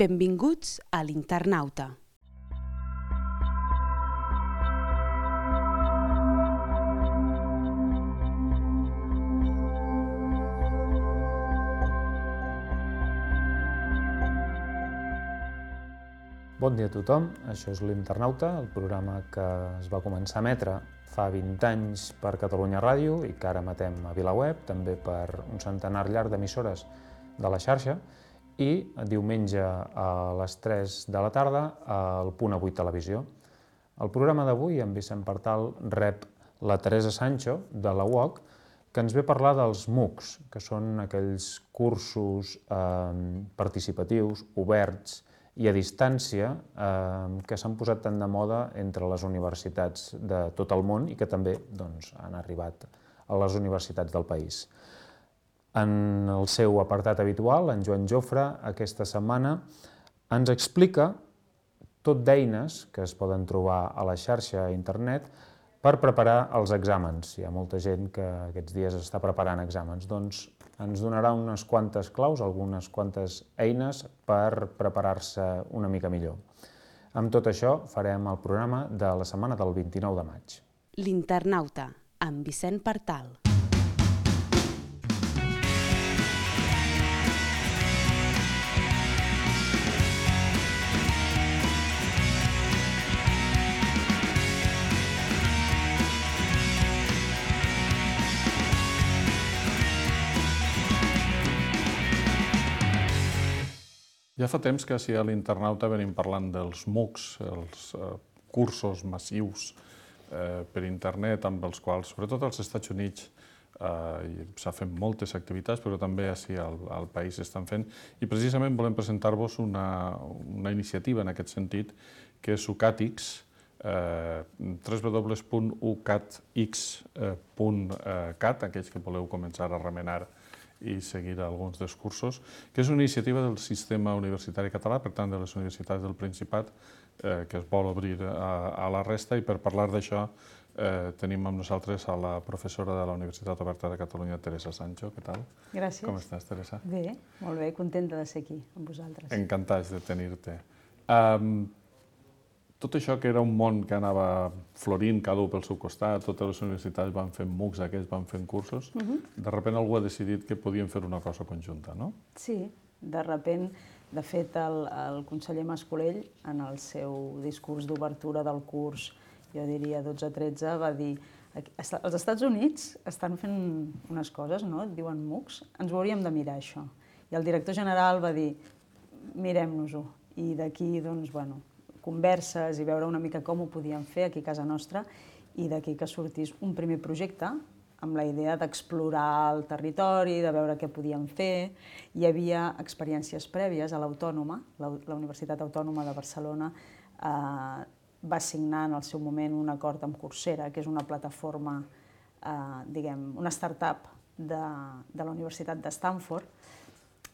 Benvinguts a l'Internauta. Bon dia a tothom, això és l'Internauta, el programa que es va començar a emetre fa 20 anys per Catalunya Ràdio i que ara emetem a VilaWeb, també per un centenar llarg d'emissores de la xarxa, i diumenge a les 3 de la tarda al Punt Avui Televisió. El programa d'avui, en Vicent Partal, rep la Teresa Sancho, de la UOC, que ens ve a parlar dels MOOCs, que són aquells cursos participatius, oberts i a distància que s'han posat tant de moda entre les universitats de tot el món i que també han arribat a les universitats del país. En el seu apartat habitual, en Joan Jofre, aquesta setmana ens explica tot d'eines que es poden trobar a la xarxa a internet per preparar els exàmens. Hi ha molta gent que aquests dies està preparant exàmens. Doncs ens donarà unes quantes claus, algunes quantes eines per preparar-se una mica millor. Amb tot això farem el programa de la setmana del 29 de maig. L'Internauta, amb Vicent Partal. Ja fa temps que a l'Internauta venim parlant dels MOOCs, els cursos massius per internet, amb els quals, sobretot als Estats Units, s'ha fet moltes activitats, però també al país s'estan fent. I precisament volem presentar-vos una iniciativa en aquest sentit, que és UCATX, www.ucatx.cat, aquells que voleu començar a remenar i seguir alguns dels cursos, que és una iniciativa del sistema universitari català, per tant, de les universitats del Principat, que es vol obrir a la resta, i per parlar d'això tenim amb nosaltres a la professora de la Universitat Oberta de Catalunya, Teresa Sancho. Què tal? Gràcies. Com estàs, Teresa? Bé, molt bé, contenta de ser aquí amb vosaltres. Encantats de tenir-te. Tot això que era un món que anava florint cada un pel seu costat, totes les universitats van fent MOOCs, aquests van fent cursos, de sobte algú ha decidit que podien fer una cosa conjunta, no? Sí, de sobte, de fet, el conseller Mas-Colell, en el seu discurs d'obertura del curs, jo diria 12-13, va dir: els Estats Units estan fent unes coses, no? Diuen MOOCs, ens ho hauríem de mirar, això. I el director general va dir: mirem-nos-ho. I d'aquí, doncs, bueno, converses i veure una mica com ho podíem fer aquí a casa nostra, i d'aquí que sortís un primer projecte amb la idea d'explorar el territori, de veure què podíem fer. Hi havia experiències prèvies a l'Autònoma, la Universitat Autònoma de Barcelona va signar en el seu moment un acord amb Coursera, que és una plataforma, una startup de la Universitat de Stanford,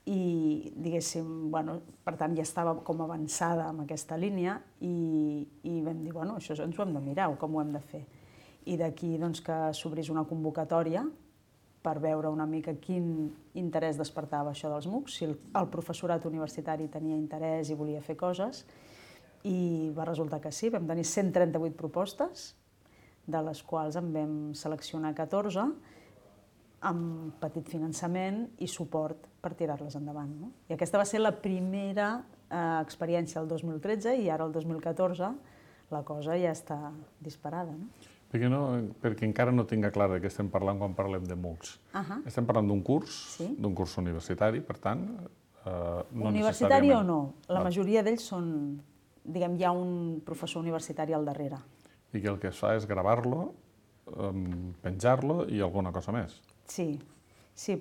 i, diguéssim, per tant, ja estava com avançada en aquesta línia i vam dir, això ens ho hem de mirar, com ho hem de fer. I d'aquí que s'obrís una convocatòria per veure una mica quin interès despertava això dels MOOCs, si el professorat universitari tenia interès i volia fer coses, i va resultar que sí, vam tenir 138 propostes, de les quals en vam seleccionar 14, amb petit finançament i suport per tirar-les endavant. I aquesta va ser la primera experiència el 2013 i ara el 2014 la cosa ja està disparada. Perquè encara no tinc clar de què estem parlant quan parlem de MOOCs. Estem parlant d'un curs universitari, per tant, no necessàriament... Universitari o no, la majoria d'ells són, hi ha un professor universitari al darrere. I que el que es fa és gravar-lo, penjar-lo i alguna cosa més. Sí,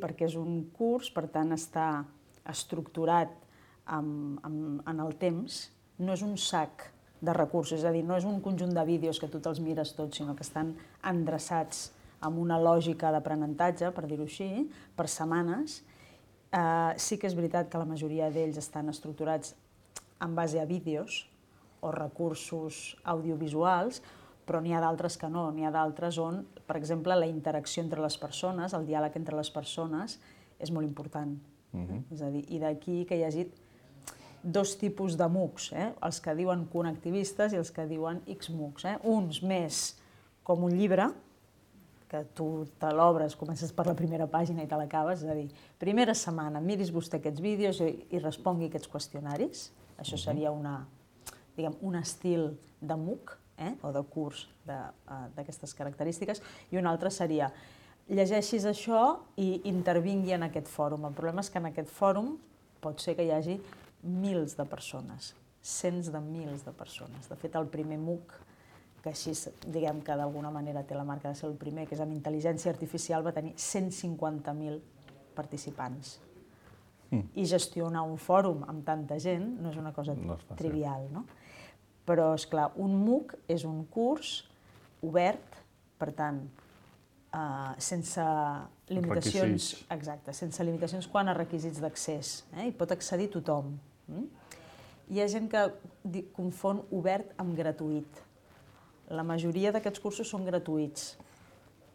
perquè és un curs, per tant està estructurat en el temps, no és un sac de recursos, és a dir, no és un conjunt de vídeos que tu te'ls mires tots, sinó que estan endreçats amb una lògica d'aprenentatge, per dir-ho així, per setmanes. Sí que és veritat que la majoria d'ells estan estructurats en base a vídeos o recursos audiovisuals, però n'hi ha d'altres que no. N'hi ha d'altres on, per exemple, la interacció entre les persones, el diàleg entre les persones, és molt important. És a dir, i d'aquí que hi hagi... dos tipus de MOOCs, els que diuen connectivistes i els que diuen XMOOCs. Uns més com un llibre, que tu te l'obres, comences per la primera pàgina i te l'acabes, és a dir, primera setmana, miris vostè aquests vídeos i respongui aquests qüestionaris. Això seria un estil de MOOC, o de curs d'aquestes característiques, i un altre seria llegeixis això i intervingui en aquest fòrum. El problema és que en aquest fòrum pot ser que hi hagi mils de persones, cents de mils de persones. De fet, el primer MOOC, que així diguem que d'alguna manera té la marca de ser el primer, que és amb intel·ligència artificial, va tenir 150.000 participants. I gestionar un fòrum amb tanta gent no és una cosa trivial, no? Però, esclar, un MOOC és un curs obert, per tant, sense limitacions, exacte, sense limitacions quant a requisits d'accés, i pot accedir tothom. Hi ha gent que confon obert amb gratuït. La majoria d'aquests cursos són gratuïts,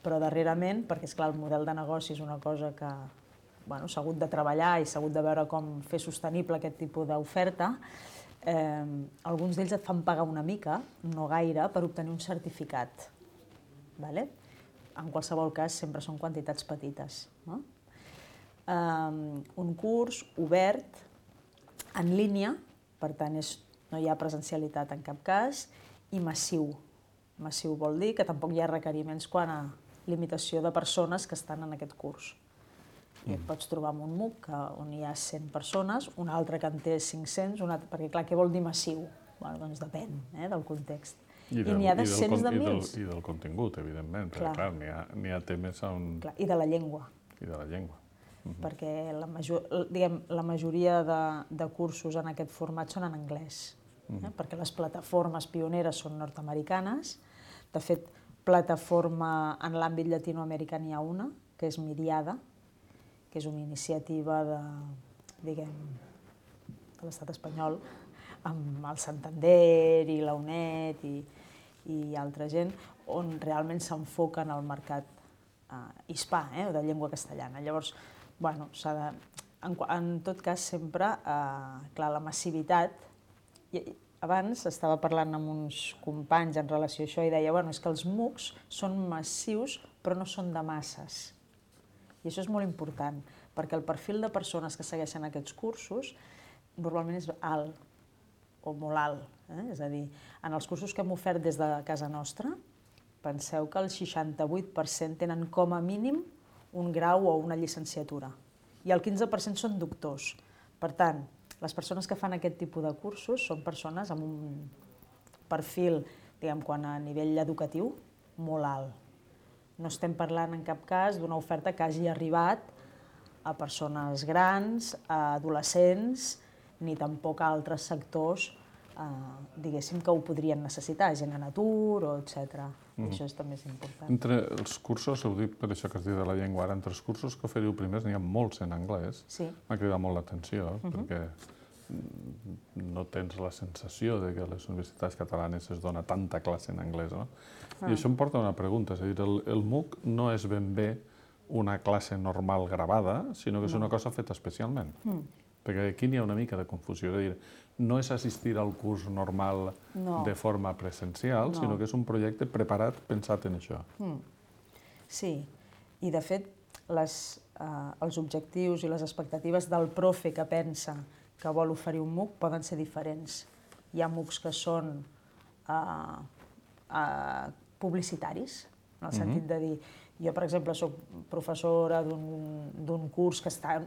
però darrerament, perquè esclar, el model de negoci és una cosa que s'ha hagut de treballar i s'ha hagut de veure com fer sostenible aquest tipus d'oferta, alguns d'ells et fan pagar una mica, no gaire, per obtenir un certificat. En qualsevol cas, sempre són quantitats petites. Un curs obert, en línia, per tant no hi ha presencialitat en cap cas, i massiu. Massiu vol dir que tampoc hi ha requeriments quant a limitació de persones que estan en aquest curs. I et pots trobar amb un MOOC on hi ha 100 persones, un altre que en té 500, perquè clar, què vol dir massiu? Doncs depèn del context. I n'hi ha de cents de mils. I del contingut, evidentment, perquè clar, n'hi ha temes on... I de la llengua. I de la llengua. Perquè la majoria de cursos en aquest format són en anglès, perquè les plataformes pioneres són nord-americanes. De fet, plataforma en l'àmbit llatinoamericà n'hi ha una, que és Miriada, que és una iniciativa de l'estat espanyol, amb el Santander i la UNED i altra gent, on realment s'enfoca en el mercat hispà, de llengua castellana. Llavors, en tot cas, sempre, clar, la massivitat... Abans estava parlant amb uns companys en relació a això i deia és que els MOOCs són massius però no són de masses. I això és molt important, perquè el perfil de persones que segueixen aquests cursos normalment és alt o molt alt. És a dir, en els cursos que hem ofert des de casa nostra, penseu que el 68% tenen com a mínim un grau o una llicenciatura i el 15% són doctors. Per tant, les persones que fan aquest tipus de cursos són persones amb un perfil, quant a nivell educatiu, molt alt. No estem parlant en cap cas d'una oferta que hagi arribat a persones grans, a adolescents, ni tampoc a altres sectors, diguéssim, que ho podrien necessitar, gent en atur, etc. Això també és important. Entre els cursos, heu dit per això que has dit de la llengua, ara, entre els cursos que oferiu primers n'hi ha molts en anglès. M'ha cridat molt l'atenció, perquè no tens la sensació que a les universitats catalanes es dona tanta classe en anglès, no? I això em porta a una pregunta, és a dir, el MOOC no és ben bé una classe normal gravada, sinó que és una cosa feta especialment. Perquè aquí n'hi ha una mica de confusió, és a dir, no és assistir al curs normal de forma presencial, sinó que és un projecte preparat, pensat en això. Sí, i de fet els objectius i les expectatives del profe que pensa que vol oferir un MOOC poden ser diferents. Hi ha MOOCs que són publicitaris, en el sentit de dir, jo, per exemple, soc professora d'un curs que està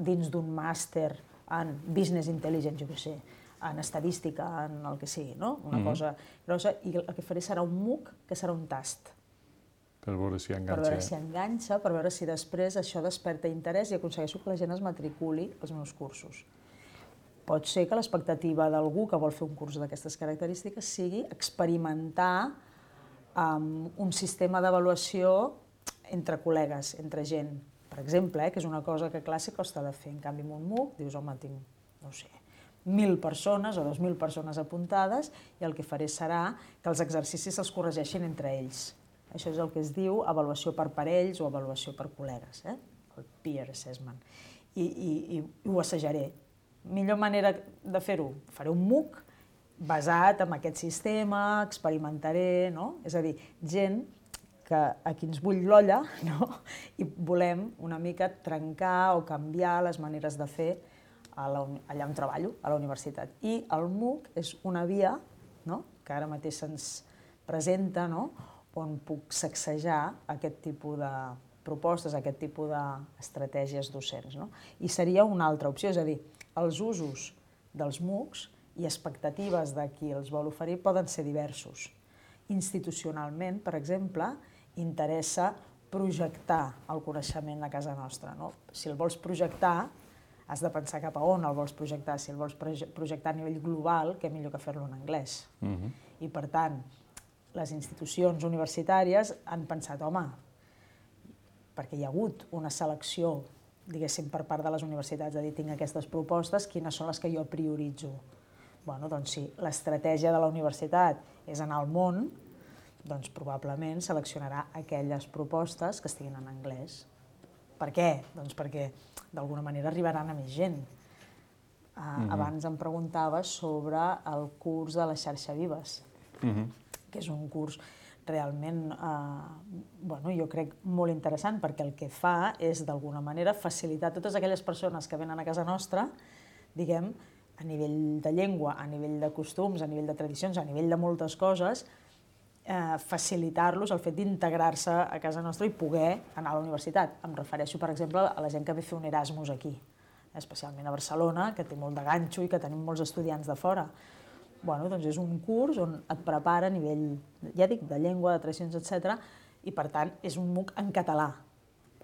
dins d'un màster en Business Intelligence, jo què sé, en estadística, en el que sigui, una cosa grossa, i el que faré serà un MOOC que serà un tast. Per veure si enganxa. Per veure si enganxa, per veure si després això desperta interès i aconsegueixo que la gent es matriculi als meus cursos. Pot ser que l'expectativa d'algú que vol fer un curs d'aquestes característiques sigui experimentar un sistema d'avaluació entre col·legues, entre gent. Per exemple, que és una cosa que a classe costa de fer. En canvi, en un MOOC dius, home, tinc, no sé, 1.000 persones o 2.000 persones apuntades i el que faré serà que els exercicis els corregeixin entre ells. Això és el que es diu avaluació per parells o avaluació per col·legues, el peer assessment. I ho assajaré. millor manera de fer-ho, faré un MOOC basat en aquest sistema, experimentaré, no? És a dir, gent a qui ens bull l'olla, no? I volem una mica trencar o canviar les maneres de fer allà on treballo, a la universitat. I el MOOC és una via, no?, que ara mateix se'ns presenta, no?, on puc sacsejar aquest tipus de propostes, aquest tipus d'estratègies docents, no? I seria una altra opció, és a dir, els usos dels MOOCs i expectatives de qui els vol oferir poden ser diversos. Institucionalment, per exemple, interessa projectar el coneixement a casa nostra, no? Si el vols projectar, has de pensar cap a on el vols projectar. Si el vols projectar a nivell global, què millor que fer-lo en anglès. I, per tant, les institucions universitàries han pensat, home, perquè hi ha hagut una selecció, diguéssim, per part de les universitats, de dir, tinc aquestes propostes, quines són les que jo prioritzo? Bueno, doncs si l'estratègia de la universitat és anar al món, doncs probablement seleccionarà aquelles propostes que estiguin en anglès. Per què? Doncs perquè d'alguna manera arribaran a més gent. Abans em preguntaves sobre el curs de la xarxa Vives, que és un curs realment, jo crec, molt interessant, perquè el que fa és, d'alguna manera, facilitar a totes aquelles persones que venen a casa nostra, diguem, a nivell de llengua, a nivell de costums, a nivell de tradicions, a nivell de moltes coses, facilitar-los el fet d'integrar-se a casa nostra i poder anar a la universitat. Em refereixo, per exemple, a la gent que ve a fer un Erasmus aquí, especialment a Barcelona, que té molt de ganxo i que tenim molts estudiants de fora. Doncs és un curs on et prepara a nivell, ja dic, de llengua, de tradicions, etc. I, per tant, és un MOOC en català.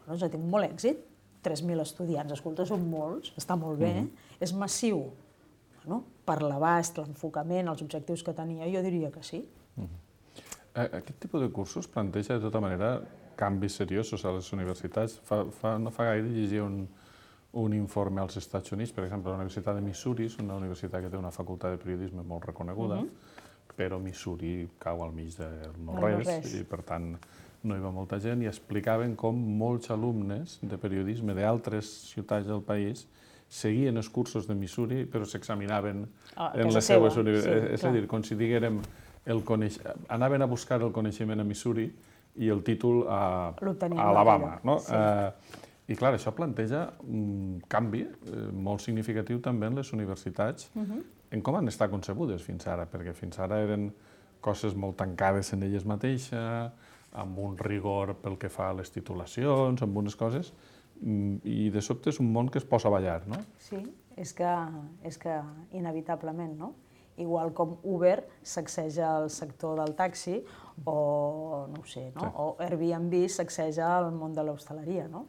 Doncs ha tingut molt èxit, 3.000 estudiants, escolta, són molts, està molt bé, és massiu. Per l'abast, l'enfocament, els objectius que tenia, jo diria que sí. Aquest tipus de cursos planteja, de tota manera, canvis seriosos a les universitats. No fa gaire llegia un informe als Estats Units, per exemple, la Universitat de Missouri és una universitat que té una facultat de periodisme molt reconeguda, però Missouri cau al mig del no-res i, per tant, no hi va molta gent, i explicaven com molts alumnes de periodisme d'altres ciutats del país seguien els cursos de Missouri, però s'examinaven en les seves universitats. És a dir, com si diguérem, anaven a buscar el coneixement a Missouri i el títol a Alabama. I, clar, això planteja un canvi molt significatiu també en les universitats, en com han estat concebudes fins ara, perquè fins ara eren coses molt tancades en elles mateixes, amb un rigor pel que fa a les titulacions, amb unes coses, i de sobte és un món que es posa a ballar, no? Sí, és que inevitablement, no? Igual com Uber sacseja el sector del taxi o, no ho sé, no? O Airbnb sacseja el món de l'hostaleria, no?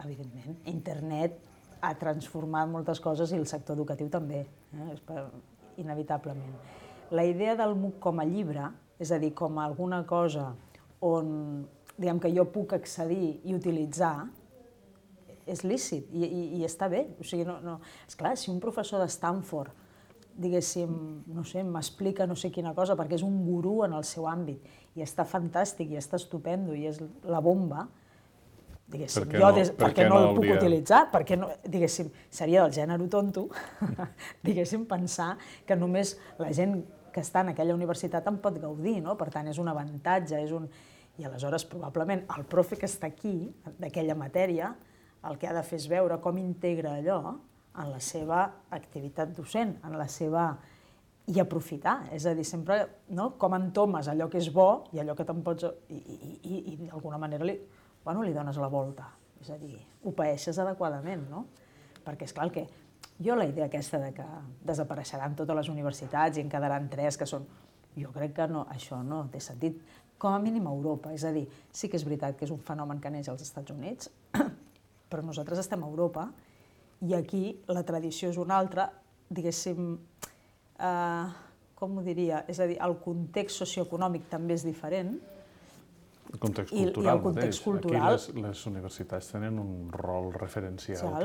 Evidentment, internet ha transformat moltes coses i el sector educatiu també, inevitablement. La idea del MOOC com a llibre, és a dir, com a alguna cosa on, diguem, que jo puc accedir i utilitzar, és lícit i està bé. O sigui, esclar, si un professor de Stanford, diguéssim, no sé, m'explica no sé quina cosa perquè és un gurú en el seu àmbit i està fantàstic i està estupendo i és la bomba, diguéssim, jo per què no el puc utilitzar? Perquè, diguéssim, seria del gènere tonto, diguéssim, pensar que només la gent que està en aquella universitat en pot gaudir, no? Per tant, és un avantatge, i aleshores probablement el profe que està aquí, d'aquella matèria, el que ha de fer és veure com integra allò en la seva activitat docent, en la seva... i aprofitar, és a dir, sempre com entomes allò que és bo i allò que te'n pots... i d'alguna manera li dones la volta, és a dir, ho paeixes adequadament, no? Perquè, esclar, que jo la idea aquesta de que desapareixeran totes les universitats i en quedaran 3 que són... Jo crec que això no té sentit, com a mínim a Europa, és a dir, sí que és veritat que és un fenomen que neix als Estats Units, però nosaltres estem a Europa i aquí la tradició és una altra, diguéssim, com ho diria? És a dir, el context socioeconòmic també és diferent. El context cultural mateix. Aquí les universitats tenen un rol referencial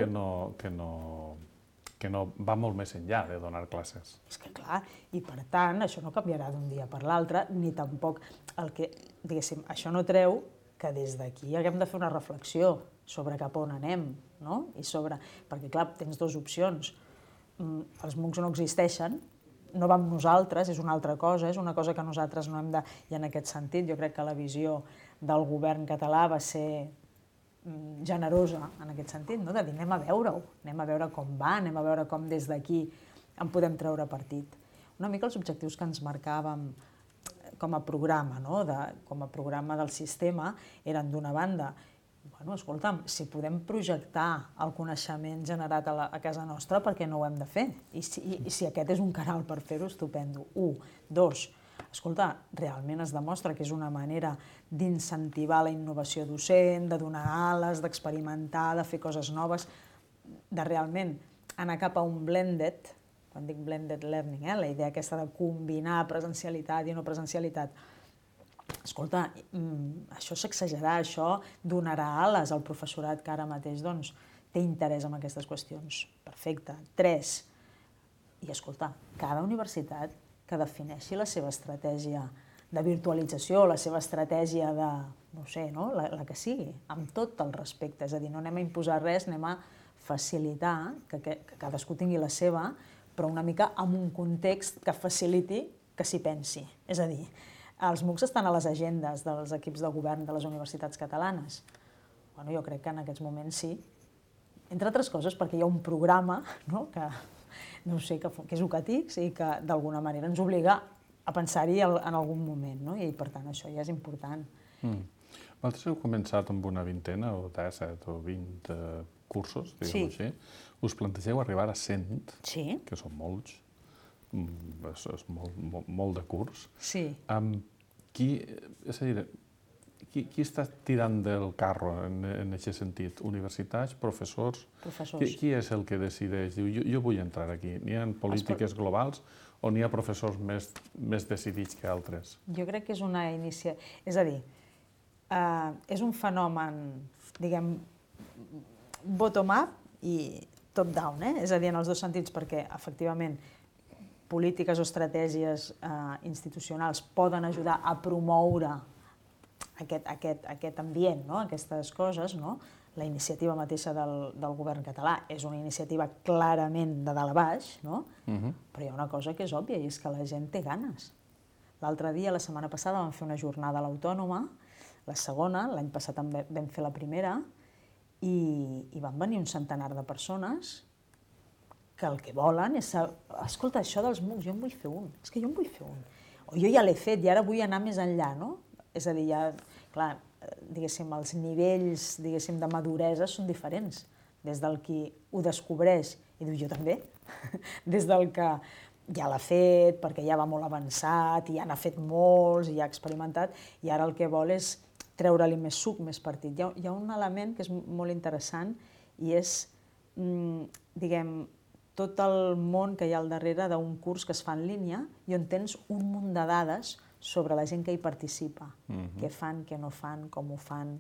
que no va molt més enllà de donar classes. És que clar, i per tant, això no canviarà d'un dia per l'altre, ni tampoc el que, diguéssim, això no treu que des d'aquí haguem de fer una reflexió sobre cap on anem, no? I sobre... Perquè, clar, tens 2 opcions. els MOOCs no existeixen, no va amb nosaltres, és una altra cosa, és una cosa que nosaltres no hem de... I en aquest sentit, jo crec que la visió del govern català va ser generosa en aquest sentit, no? De dir anem a veure-ho, anem a veure com va, anem a veure com des d'aquí en podem treure partit. Una mica els objectius que ens marcàvem com a programa, no? Com a programa del sistema, eren d'una banda, bueno, escolta'm, si podem projectar el coneixement generat a casa nostra, per què no ho hem de fer? I si aquest és un canal per fer-ho, estupendo. 1. 2. Escolta, realment es demostra que és una manera d'incentivar la innovació docent, de donar ales, d'experimentar, de fer coses noves, de realment anar cap a un blended, quan dic blended learning, la idea aquesta de combinar presencialitat i no presencialitat. Escolta, això sacsejarà, això donarà ales al professorat que ara mateix té interès en aquestes qüestions. Perfecte. 3. I escolta, cada universitat que defineixi la seva estratègia de virtualització, la seva estratègia de, no sé, la que sigui, amb tot el respecte. És a dir, no anem a imposar res, anem a facilitar que cadascú tingui la seva, però una mica en un context que faciliti que s'hi pensi. És a dir, els MOOCs estan a les agendes dels equips de govern de les universitats catalanes. Bueno, jo crec que en aquests moments sí. Entre altres coses perquè hi ha un programa que és UCATIX i que d'alguna manera ens obliga a pensar-hi en algun moment, i per tant això ja és important. Vosaltres heu començat amb una vintena, o 17 o 20 cursos, diguem-ho així. Us plantegeu arribar a 100, que són molts, és molt de curs. Sí. És a dir, qui està tirant del carro en aquest sentit? Universitats, professors? Qui és el que decideix? Diu, jo vull entrar aquí. N'hi ha polítiques globals o n'hi ha professors més decidits que altres? Jo crec que és una iniciativa... És a dir, és un fenomen, diguem, bottom-up i top-down, és a dir, en els dos sentits, perquè, efectivament, polítiques o estratègies institucionals poden ajudar a promoure aquest ambient, aquestes coses. La iniciativa mateixa del govern català és una iniciativa clarament de dalt a baix, però hi ha una cosa que és òbvia i és que la gent té ganes. L'altre dia, la setmana passada, vam fer una jornada a l'Autònoma, la segona, l'any passat vam fer la primera, i van venir un centenar de persones que el que volen és... Escolta, això dels MOOCs, jo en vull fer un. És que jo en vull fer un. O jo ja l'he fet i ara vull anar més enllà, no? És a dir, ja, clar, diguéssim, els nivells, diguéssim, de maduresa són diferents. Des del qui ho descobreix i diu, jo també. Des del que ja l'ha fet, perquè ja va molt avançat, i ja n'ha fet molts, i ja ha experimentat, i ara el que vol és treure-li més suc, més partit. Hi ha un element que és molt interessant i és, diguem, tot el món que hi ha al darrere d'un curs que es fa en línia i on tens un munt de dades sobre la gent que hi participa, què fan, què no fan, com ho fan,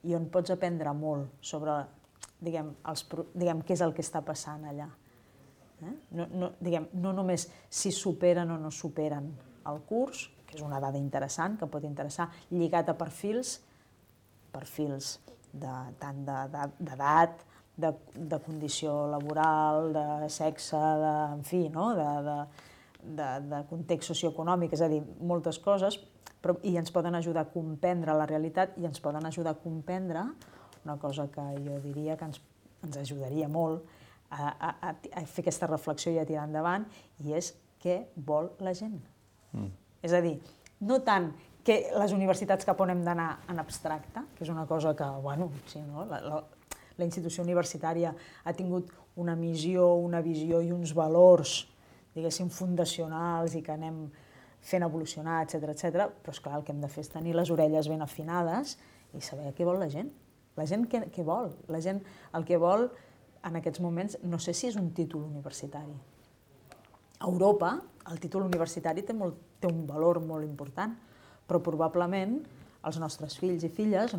i on pots aprendre molt sobre, diguem, què és el que està passant allà. No només si superen o no superen el curs, que és una dada interessant, que pot interessar, lligat a perfils tant d'edat, de condició laboral, de sexe, en fi, de context socioeconòmic, és a dir, moltes coses, i ens poden ajudar a comprendre la realitat i ens poden ajudar a comprendre una cosa que jo diria que ens ajudaria molt a fer aquesta reflexió i a tirar endavant, i és què vol la gent. És a dir, no tant que les universitats cap on hem d'anar en abstracte, que és una cosa que, bueno, sí, no? La institució universitària ha tingut una missió, una visió i uns valors, diguéssim, fundacionals i que anem fent evolucionar, etcètera, però esclar, el que hem de fer és tenir les orelles ben afinades i saber què vol la gent. La gent què vol? La gent el que vol en aquests moments, no sé si és un títol universitari. A Europa el títol universitari té un valor molt important, però probablement els nostres fills i filles,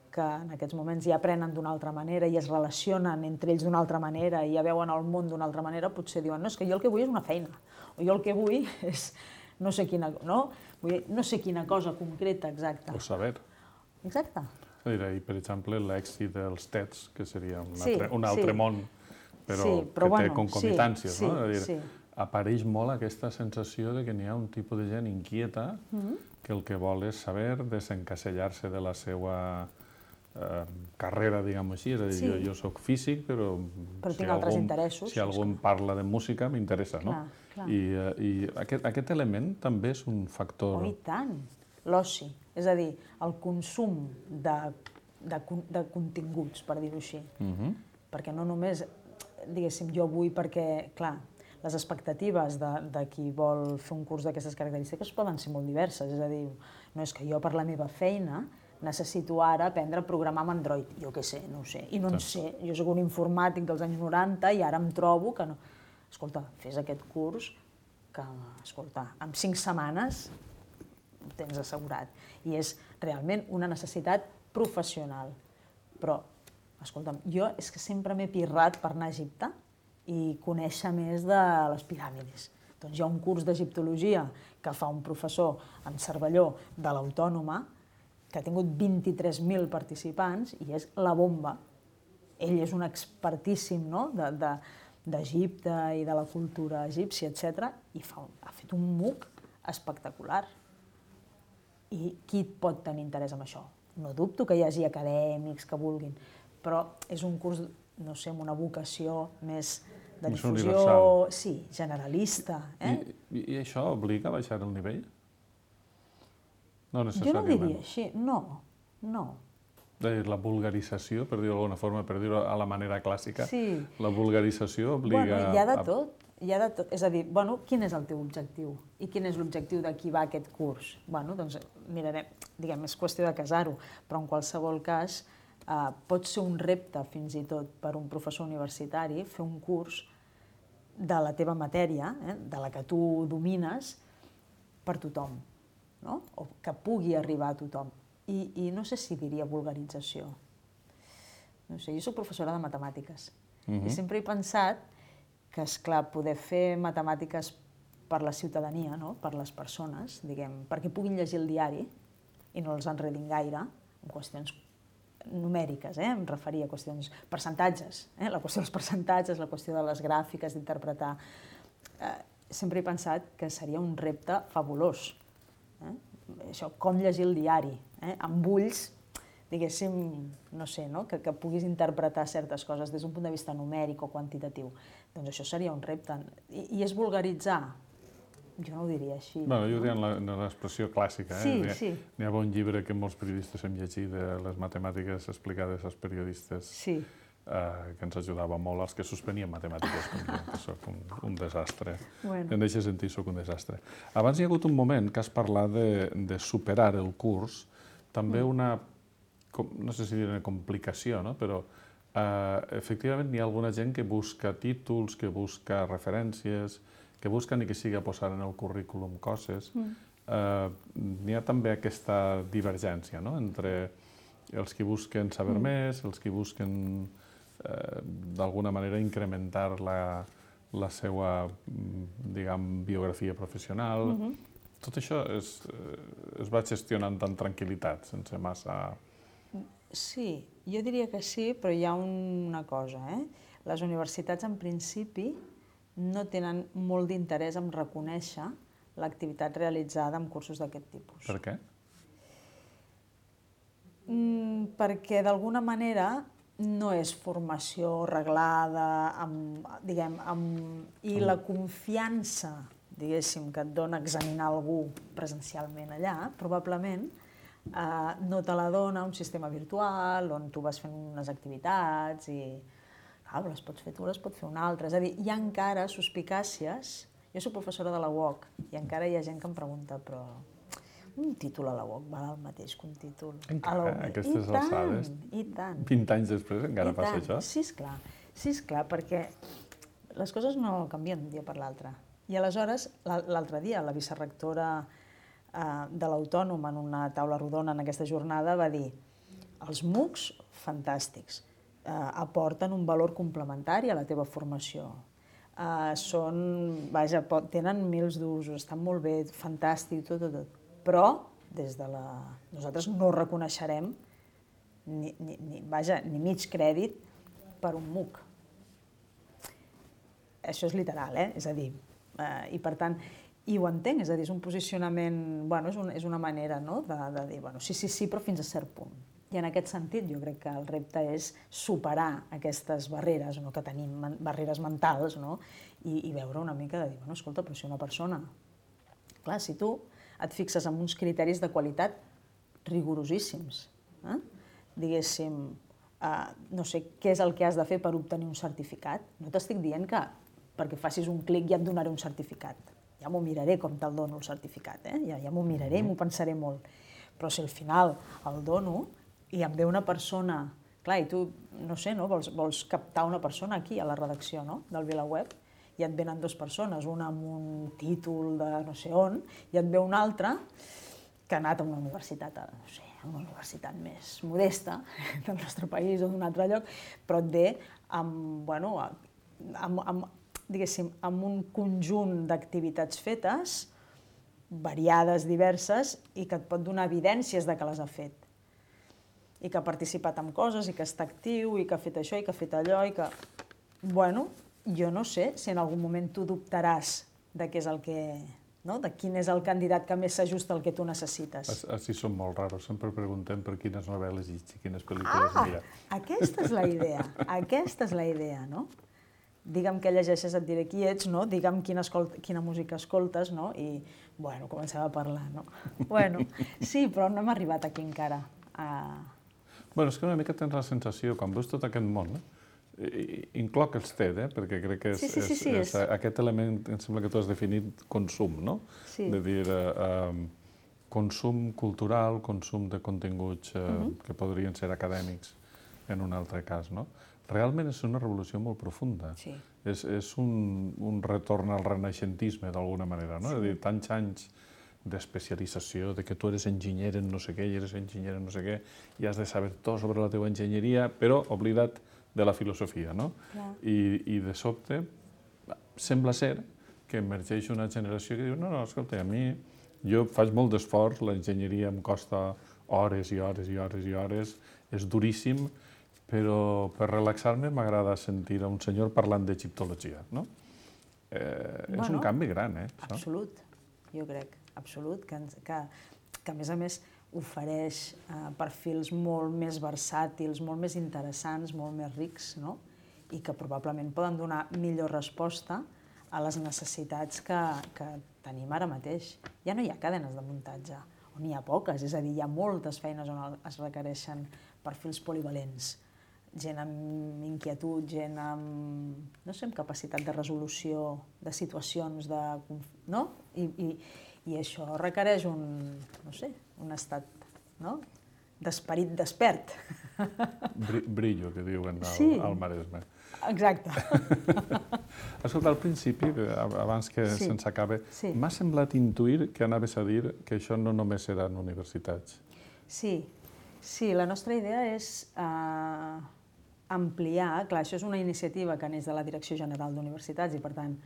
que en aquests moments ja aprenen d'una altra manera i es relacionen entre ells d'una altra manera i ja veuen el món d'una altra manera, potser diuen, no, és que jo el que vull és una feina, o jo el que vull és no sé quina cosa concreta, exacta. O saber. Exacte. I, per exemple, l'èxit dels TEDs, que seria un altre món però que té concomitàncies, no? És a dir, apareix molt aquesta sensació de que n'hi ha un tipus de gent inquieta que el que vol és saber desencasellar-se de la seva carrera, diguem-ho així. És a dir, jo soc físic, però tinc altres interessos. Si algú em parla de música, m'interessa, no? I aquest element també és un factor... Oh, i tant! L'oci, és a dir, el consum de continguts, per dir-ho així. Perquè no només, diguéssim, jo vull perquè, clar, les expectatives de qui vol fer un curs d'aquestes característiques poden ser molt diverses. És a dir, no és que jo per la meva feina necessito ara aprendre a programar amb Android. Jo què sé, no ho sé. I no en sé. Jo soc un informàtic dels anys 90 i ara em trobo que no... Escolta, fes aquest curs que, escolta, en 5 setmanes ho tens assegurat. I és realment una necessitat professional. Però, escolta'm, jo és que sempre m'he pirrat per anar a Egipte i conèixer més de les piràmides. Doncs hi ha un curs d'egiptologia que fa un professor en Cervelló de l'Autònoma que ha tingut 23.000 participants i és la bomba. Ell és un expertíssim d'Egipte i de la cultura egípcia, etc. I ha fet un MOOC espectacular. I qui pot tenir interès en això? No dubto que hi hagi acadèmics que vulguin, però és un curs, no sé, amb una vocació més de difusió... Sí, generalista. I això obliga a baixar el nivell? No Jo necessàriament. no diria així, no. La vulgarització, per dir-ho d'alguna forma, per dir-ho a la manera clàssica, Sí. la vulgarització obliga... Hi ha de tot. És a dir, quin és el teu objectiu? I quin és l'objectiu de qui va a aquest curs? Doncs mirarem, diguem, és qüestió de casar-ho, però en qualsevol cas pot ser un repte, fins i tot, per un professor universitari, fer un curs de la teva matèria, de la que tu domines, per tothom, no? O que pugui arribar a tothom. I no sé si diria vulgarització. No sé, jo soc professora de matemàtiques i sempre he pensat que, esclar, poder fer matemàtiques per la ciutadania, per les persones, diguem, perquè puguin llegir el diari i no els enredin gaire en qüestions numèriques, em referia a qüestions percentatges, la qüestió dels percentatges, la qüestió de les gràfiques, d'interpretar. Sempre he pensat que seria un repte fabulós. Això, com llegir el diari, amb ulls, diguéssim, no sé, que puguis interpretar certes coses des d'un punt de vista numèric o quantitatiu. Doncs això seria un repte. I és vulgaritzar? Jo no ho diria així. Jo ho diria en l'expressió clàssica. Sí. N'hi ha un llibre que molts periodistes hem llegit de les matemàtiques explicades als periodistes que ens ajudava molt, als que suspenien matemàtiques, com jo, que soc un desastre. En aquest sentit, soc un desastre. Abans hi ha hagut un moment que has parlat de superar el curs, també una, no sé si dir una complicació, però efectivament hi ha alguna gent que busca títols, que busca referències, que busquen i que sigui a posar en el currículum coses. N'hi ha també aquesta divergència entre els que busquen saber més, els que busquen d'alguna manera incrementar la seva, diguem, biografia professional. Tot això es va gestionant amb tranquil·litat, sense massa... Sí, jo diria que sí, però hi ha una cosa. Les universitats, en principi, no tenen molt d'interès en reconèixer l'activitat realitzada amb cursos d'aquest tipus. Per què? Perquè, d'alguna manera, no és formació reglada, i la confiança, diguéssim, que et dona examinar algú presencialment allà, probablement no te la dona un sistema virtual on tu vas fent unes activitats i les pots fer tu, les pot fer un altre. És a dir, hi ha encara suspicàcies. Jo soc professora de la UOC i encara hi ha gent que em pregunta, però un títol a la UOC val el mateix que un títol a la UOC? Aquestes alçades, 20 anys després, encara passa això? Sí, esclar, perquè les coses no canvien d'un dia per l'altre. I aleshores, l'altre dia, la vicerectora de l'Autònoma, en una taula rodona en aquesta jornada, va dir: els MOOCs, fantàstics, aporten un valor complementari a la teva formació. Tenen mils d'usos, estan molt bé, fantàstic, tot. Però, nosaltres no reconeixerem ni mig crèdit per un MOOC. això és literal, és a dir, i per tant, i ho entenc, és a dir, és un posicionament, bueno, és una manera, no?, de dir, bueno, sí, però fins a cert punt. I en aquest sentit jo crec que el repte és superar aquestes barreres, no?, que tenim, barreres mentals, no?, i veure una mica de dir, bueno, escolta, però si una persona... Clar, si tu et fixes en uns criteris de qualitat rigorosíssims, diguéssim, no sé què és el que has de fer per obtenir un certificat, no t'estic dient que perquè facis un clic ja et donaré un certificat. Ja m'ho miraré com te'l dono el certificat, ja m'ho miraré i m'ho pensaré molt. Però si al final el dono i em ve una persona... Clar, i tu, no sé, no? Vols captar una persona aquí a la redacció, no?, del VilaWeb, i et venen dues persones, una amb un títol de no sé on, i et ve una altra que ha anat a una universitat, no sé, a una universitat més modesta del nostre país o d'un altre lloc, però et ve amb, bueno, diguéssim, amb un conjunt d'activitats fetes, variades, diverses, i que et pot donar evidències de que les ha fet. I que ha participat en coses, i que està actiu, i que ha fet això, i que ha fet allò, i que... Bueno, jo no sé si en algun moment tu dubtaràs de què és el que... no? De quin és el candidat que més s'ajusta al que tu necessites. Així som molt raros, sempre preguntem per quines novel·les i quines pel·lícules mira. Aquesta és la idea, no? Digue'm què llegeixes, et diré qui ets, no? Digue'm quina música escoltes, no? I, bueno, comencem a parlar, no? Bueno, sí, però no hem arribat aquí encara. Bueno, és que una mica tens la sensació, quan veus tot aquest món, incloc els TED, perquè crec que és aquest element, em sembla que tu has definit consum, no? Sí. De dir, consum cultural, consum de continguts que podrien ser acadèmics en un altre cas, no? Realment és una revolució molt profunda. Sí. És un retorn al renaixentisme, d'alguna manera, no? És a dir, tants anys d'especialització, de que tu eres enginyer en no sé què i eres enginyer en no sé què i has de saber tot sobre la teva enginyeria, però oblidat de la filosofia, no? I de sobte sembla ser que emergeix una generació que diu no, escolta, a mi jo faig molt d'esforç, l'enginyeria em costa hores i hores i hores i hores, és duríssim, però per relaxar-me m'agrada sentir a un senyor parlant d'egiptologia, no? És un canvi gran, Absolut, jo crec, absolut, que a més ofereix perfils molt més versàtils, molt més interessants, molt més rics, no? I que probablement poden donar millor resposta a les necessitats que tenim ara mateix. Ja no hi ha cadenes de muntatge, o n'hi ha poques, és a dir, hi ha moltes feines on es requereixen perfils polivalents, gent amb inquietud, gent amb, no sé, amb capacitat de resolució de situacions, no? I això requereix un estat d'esperit despert. Brillo, que diuen al Maresme. Exacte. Escolta, al principi, abans que se'ns acabe, m'ha semblat intuir que anaves a dir que això no només seran universitats. Sí, la nostra idea és ampliar, clar, això és una iniciativa que neix de la Direcció General d'Universitats i, per tant,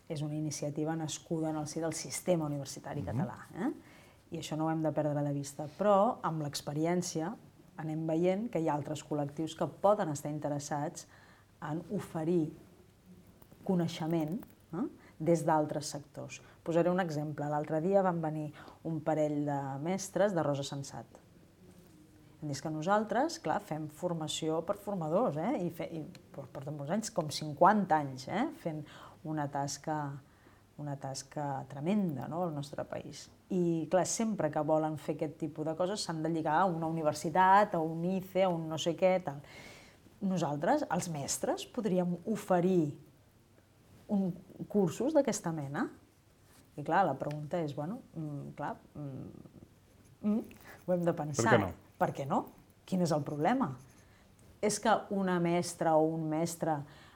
és una iniciativa nascuda en el si del sistema universitari català. I això no ho hem de perdre de vista. Però, amb l'experiència, anem veient que hi ha altres col·lectius que poden estar interessats en oferir coneixement des d'altres sectors. Posaré un exemple. L'altre dia van venir un parell de mestres de Rosa Sensat. Hem dit que nosaltres, clar, fem formació per formadors, i portem molts anys, com 50 anys, fent una tasca tremenda al nostre país. I, clar, sempre que volen fer aquest tipus de coses s'han de lligar a una universitat, a un ICE, a un no sé què, tal. Nosaltres, els mestres, podríem oferir cursos d'aquesta mena? I, clar, la pregunta és, bueno, clar, ho hem de pensar. Per què no? Per què no? Quin és el problema? És que una mestra o un mestre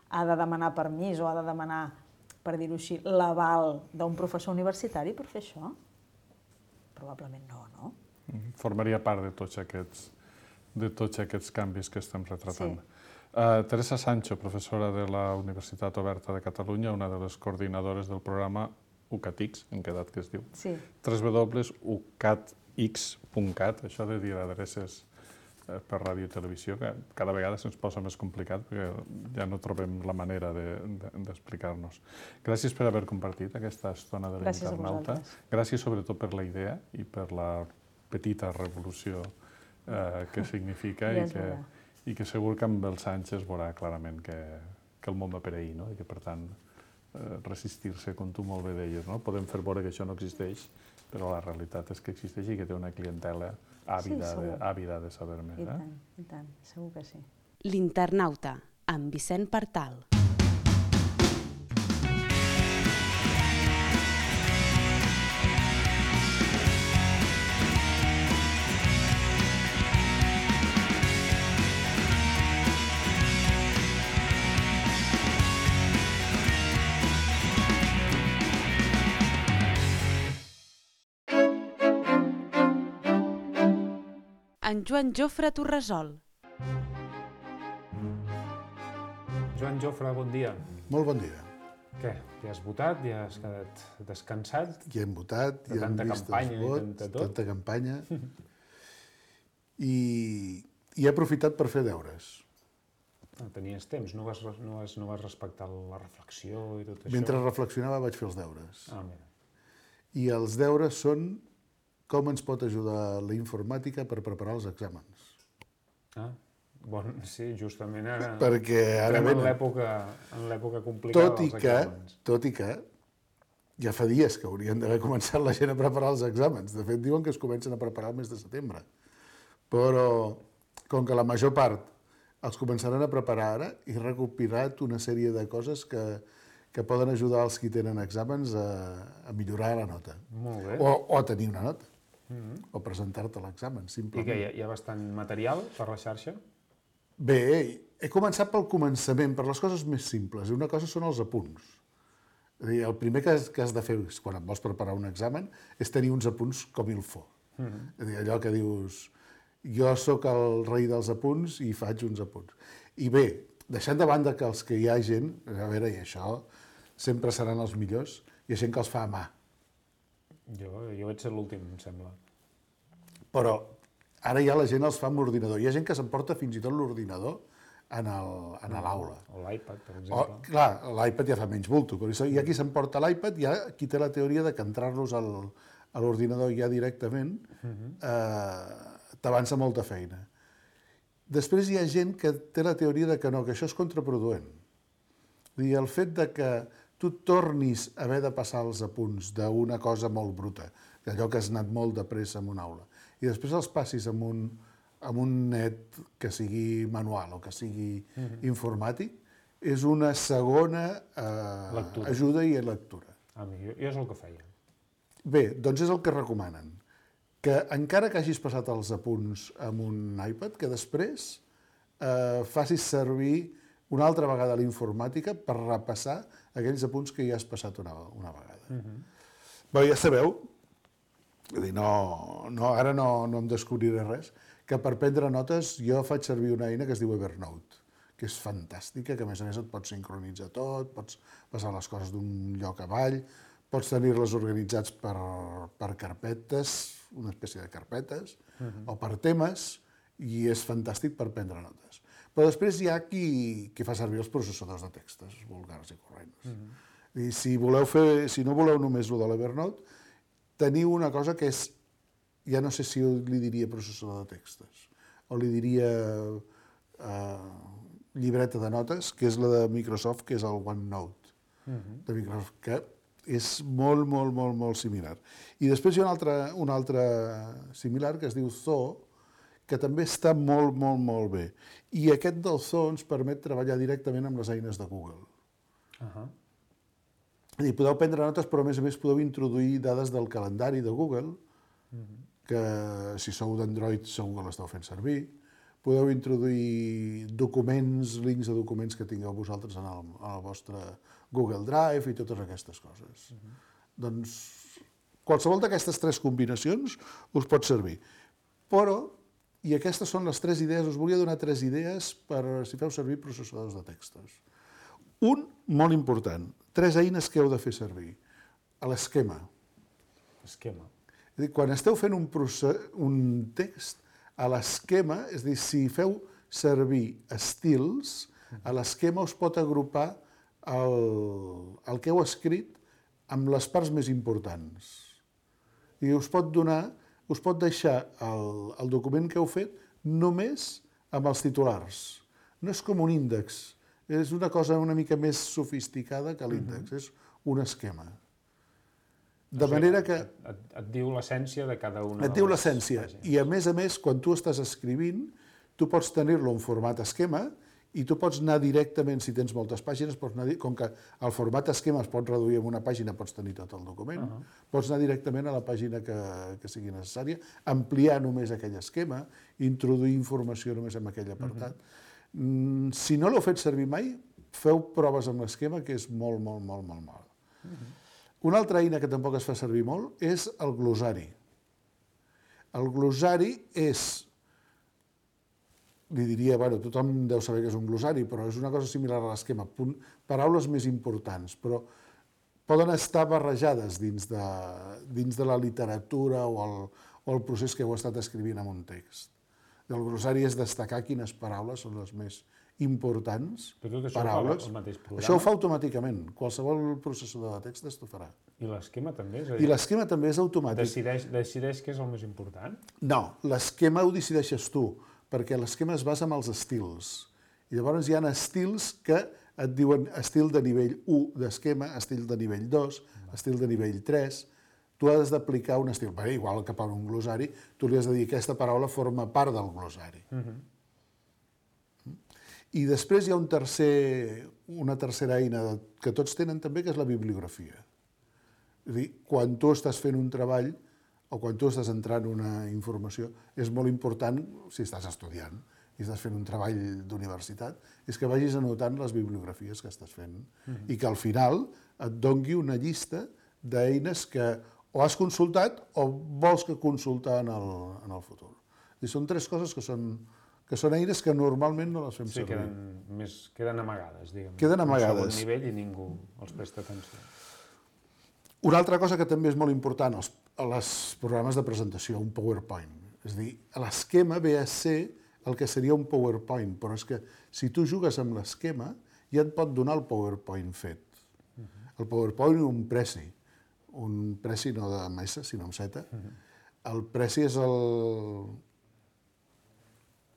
ha de demanar permís o ha de demanar, per dir-ho així, l'aval d'un professor universitari per fer això? Probablement no, no? Formaria part de tots aquests canvis que estem retratant. Teresa Sancho, professora de la Universitat Oberta de Catalunya, una de les coordinadores del programa UCATX, hem quedat que es diu, www.ucatx.cat, això de dir adreces per ràdio i televisió, que cada vegada se'ns posa més complicat perquè ja no trobem la manera d'explicar-nos. Gràcies per haver compartit aquesta estona de l'Internauta. Gràcies sobretot per la idea i per la petita revolució que significa i que segur que amb els anys es veurà clarament que el món va per ahir, no? I que, per tant, resistir-se, com tu molt bé deies, no? Podem fer veure que això no existeix, però la realitat és que existeix i que té una clientela àvida de saber més. I tant, segur que sí. L'Internauta, amb Vicent Partal. En Joan Jofre Torresol. Joan Jofre, bon dia. Molt bon dia. Què? Ja has votat? Ja has quedat descansat? Ja hem votat, ja hem vist els vots, tanta campanya. I he aprofitat per fer deures. Tenies temps, no vas respectar la reflexió i tot això? Mentre reflexionava vaig fer els deures. Mira. I els deures són com ens pot ajudar la informàtica per preparar els exàmens. Sí, justament ara... Perquè ara en l'època complicada dels exàmens. Tot i que ja fa dies que haurien d'haver començat la gent a preparar els exàmens. De fet, diuen que es comencen a preparar el mes de setembre. Però, com que la major part els començaran a preparar ara, he recopilat una sèrie de coses que poden ajudar els qui tenen exàmens a millorar la nota. Molt bé. O a tenir una nota. O presentar-te l'examen, simplement. I què, hi ha bastant material per la xarxa? Bé, he començat pel començament, per les coses més simples. I una cosa són els apunts. És a dir, el primer que has de fer quan et vols preparar un examen és tenir uns apunts com il faut. És a dir, allò que dius, jo sóc el rei dels apunts i faig uns apunts. I bé, deixant de banda que els que hi ha gent, a veure, i això sempre seran els millors, hi ha gent que els fa a mà. Jo vaig ser l'últim, em sembla. Però ara ja la gent els fa amb l'ordinador. Hi ha gent que s'emporta fins i tot l'ordinador a l'aula. O l'iPad, per exemple. Clar, l'iPad ja fa menys bulto, però hi ha qui s'emporta l'iPad, hi ha qui té la teoria de que entrar-los a l'ordinador ja directament t'avança molta feina. Després hi ha gent que té la teoria de que no, que això és contraproduent. I el fet de que tu tornis a haver de passar els apunts d'una cosa molt bruta, d'allò que has anat molt de pressa en una aula, i després els passis amb un net que sigui manual o que sigui informàtic, és una segona ajuda i lectura. Jo és el que feia. Bé, doncs és el que recomanen. Que encara que hagis passat els apunts amb un iPad, que després facis servir una altra vegada l'informàtica per repassar aquells apunts que ja has passat una vegada. Bé, ja sabeu, ara no em descobriré res, que per prendre notes jo faig servir una eina que es diu Evernote, que és fantàstica, que a més et pots sincronitzar tot, pots passar les coses d'un lloc avall, pots tenir-les organitzats per carpetes, una espècie de carpetes, o per temes, i és fantàstic per prendre notes. Però després hi ha qui fa servir els processadors de textos vulgars i corrents. I si no voleu només el de l'Evernote, teniu una cosa que és, ja no sé si li diria processador de textos, o li diria llibreta de notes, que és la de Microsoft, que és el OneNote de Microsoft, que és molt, molt, molt, molt similar. I després hi ha un altre similar que es diu Zoo, que també està molt, molt, molt bé. I aquest del Zoo ens permet treballar directament amb les eines de Google. És a dir, podeu prendre notes, però a més podeu introduir dades del calendari de Google, que si sou d'Android segur que l'esteu fent servir. Podeu introduir documents, links de documents que tingueu vosaltres en el vostre Google Drive i totes aquestes coses. Doncs qualsevol d'aquestes tres combinacions us pot servir. Però, i aquestes són les tres idees, us volia donar tres idees per si feu servir processadors de textos. Un, molt important, tres eines que heu de fer servir. L'esquema. Esquema. És a dir, quan esteu fent un text, a l'esquema, és a dir, si feu servir estils, a l'esquema us pot agrupar el que heu escrit amb les parts més importants. I us pot deixar el document que heu fet només amb els titulars. No és com un índex, és una cosa una mica més sofisticada que l'índex, és un esquema. De manera que... Et diu l'essència de cada una de les pàgines. Et diu l'essència. I a més, quan tu estàs escrivint, tu pots tenir-lo en format esquema i tu pots anar directament, si tens moltes pàgines, com que el format esquema es pot reduir en una pàgina, pots tenir tot el document, pots anar directament a la pàgina que sigui necessària, ampliar només aquell esquema, introduir informació només en aquell apartat. Si no l'heu fet servir mai, feu proves amb l'esquema, que és molt, molt, molt, molt mal. Una altra eina que tampoc es fa servir molt és el glossari. El glossari és, li diria, tothom deu saber que és un glossari, però és una cosa similar a l'esquema, paraules més importants, però poden estar barrejades dins de la literatura o el procés que heu estat escrivint en un text. El glossari és destacar quines paraules són les més importants, però tot això paraules. Ho fa el mateix programa? Això ho fa automàticament. Qualsevol processador de text t'ho farà. I l'esquema també? I l'esquema també és automàtic. Decideix què és el més important? No, l'esquema ho decideixes tu, perquè l'esquema es basa en els estils. I llavors hi ha estils que et diuen estil de nivell 1 d'esquema, estil de nivell 2, estil de nivell 3... Tu has d'aplicar un estil. Igual que per un glossari, tu li has de dir que aquesta paraula forma part del glossari. I després hi ha una tercera eina que tots tenen també, que és la bibliografia. És a dir, quan tu estàs fent un treball o quan tu estàs entrant una informació, és molt important, si estàs estudiant i estàs fent un treball d'universitat, és que vagis anotant les bibliografies que estàs fent i que al final et dongui una llista d'eines que o has consultat o vols que consultar en el futur. I són tres coses que són eines que normalment no les fem servir. Queden amagades, diguem. Queden amagades. Un segon nivell i ningú els presta atenció. Una altra cosa que també és molt important, els programes de presentació, un PowerPoint. És a dir, l'esquema ve a ser el que seria un PowerPoint, però és que si tu jugues amb l'esquema ja et pot donar el PowerPoint fet. El PowerPoint i un Prezi no amb S, sinó amb Z. El Prezi és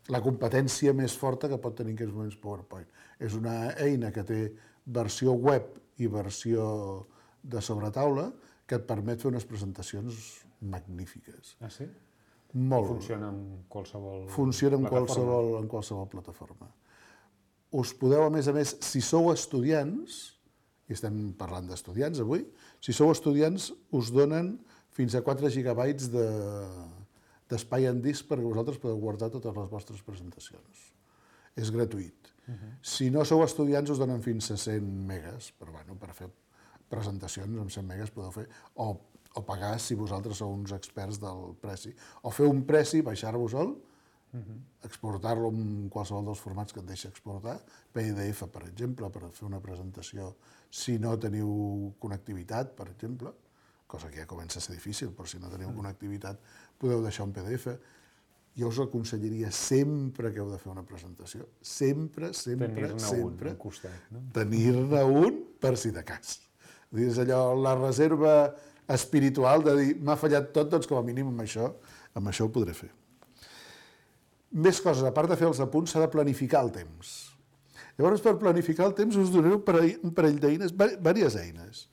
la competència més forta que pot tenir en aquests moments PowerPoint. És una eina que té versió web i versió de sobretaula que et permet fer unes presentacions magnífiques. Ah, sí? Molt. Funciona en qualsevol plataforma? Funciona en qualsevol plataforma. Us podeu, a més, si sou estudiants, i estem parlant d'estudiants avui, si sou estudiants us donen fins a 4 gigabytes d'espai en disc perquè vosaltres podeu guardar totes les vostres presentacions. És gratuït. Si no sou estudiants us donen fins a 100 megas, però per fer presentacions amb 100 megas podeu fer, o pagar si vosaltres sou uns experts del Prezi. O fer un Prezi, baixar-vos-el, exportar-lo en qualsevol dels formats que et deixa exportar, PDF, per exemple, per fer una presentació si no teniu connectivitat, per exemple, cosa que ja comença a ser difícil, però si no teniu connectivitat podeu deixar un PDF. Jo us aconsellaria sempre que heu de fer una presentació, sempre, tenir-ne un per si de cas. És allò, la reserva espiritual de dir, m'ha fallat tot, doncs com a mínim amb això ho podré fer. Més coses, a part de fer els apunts, s'ha de planificar el temps. Llavors, per planificar el temps us donaré un parell d'eines, diverses eines,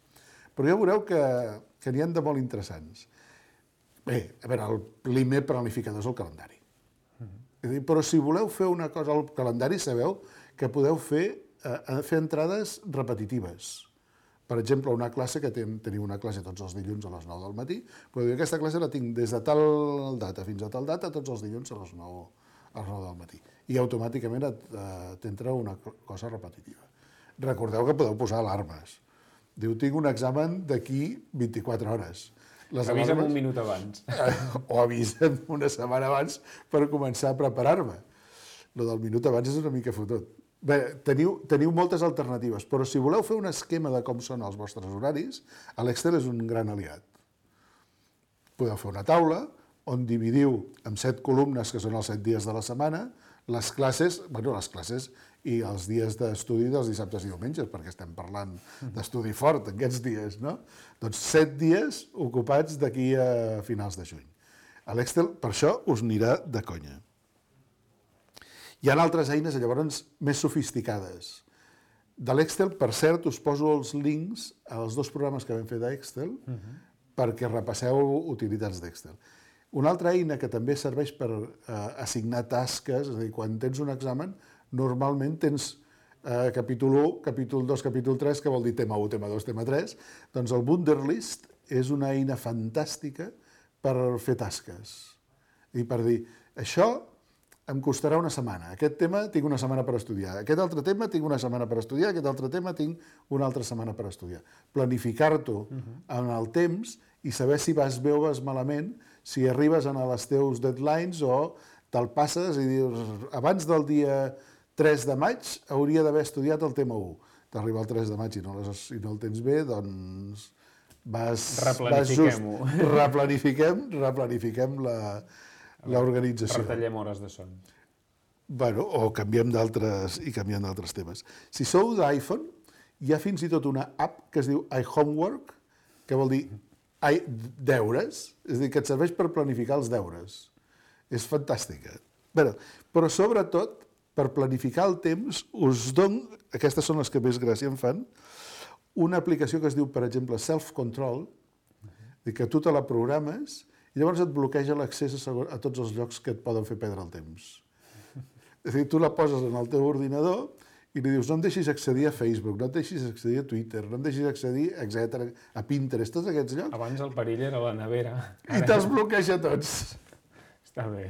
però ja veureu que n'hi ha de molt interessants. Bé, a veure, el primer planificador és el calendari. Però si voleu fer una cosa al calendari, sabeu que podeu fer entrades repetitives. Per exemple, una classe que teniu una classe tots els dilluns a les 9 del matí, podeu dir, aquesta classe la tinc des de tal data fins a tal data, tots els dilluns a les 9 del matí. I automàticament t'entra una cosa repetitiva. Recordeu que podeu posar alarmes. Diu, tinc un examen d'aquí 24 hores. Avisa'm un minut abans. O avisa'm una setmana abans per començar a preparar-me. Lo del minut abans és una mica fotut. Bé, teniu moltes alternatives, però si voleu fer un esquema de com són els vostres horaris, l'Excel és un gran aliat. Podeu fer una taula on dividiu en 7 columnes, que són els 7 dies de la setmana, les classes i els dies d'estudi dels dissabtes i diumenges, perquè estem parlant d'estudi fort aquests dies, no? Doncs 7 dies ocupats d'aquí a finals de juny. A l'Excel, per això, us anirà de conya. Hi ha altres eines, llavors, més sofisticades. De l'Excel, per cert, us poso els links als 2 programes que vam fer d'Excel perquè repasseu utilitats d'Excel. Una altra eina que també serveix per assignar tasques, és a dir, quan tens un examen, normalment tens capítol 1, capítol 2, capítol 3, que vol dir tema 1, tema 2, tema 3, doncs el Wunderlist és una eina fantàstica per fer tasques. I per dir, això em costarà una setmana, aquest tema tinc una setmana per estudiar, aquest altre tema tinc una setmana per estudiar, aquest altre tema tinc una altra setmana per estudiar. Planificar-t'ho en el temps i saber si vas bé o vas malament, si arribes a els teus deadlines o te'l passes i dius, abans del dia 3 de maig hauria d'haver estudiat el tema 1. T'arriba el 3 de maig i no el tens bé, doncs Replanifiquem-ho. Replanifiquem l'organització. Retallem hores de son. Bueno, o canviem d'altres temes. Si sou d'iPhone, hi ha fins i tot una app que es diu iHomework, que vol dir deures, és a dir, que et serveix per planificar els deures. És fantàstica. Però sobretot, per planificar el temps, us dono, aquestes són les que més gràcia em fan, una aplicació que es diu, per exemple, Self Control, que tu te la programes i llavors et bloqueja l'accés a tots els llocs que et poden fer perdre el temps. És a dir, tu la poses en el teu ordinador i li dius, no em deixis accedir a Facebook, no em deixis accedir a Twitter, no em deixis accedir, etc., a Pinterest, tots aquests llocs. Abans el perill era la nevera. I te'ls bloqueja tots. Està bé.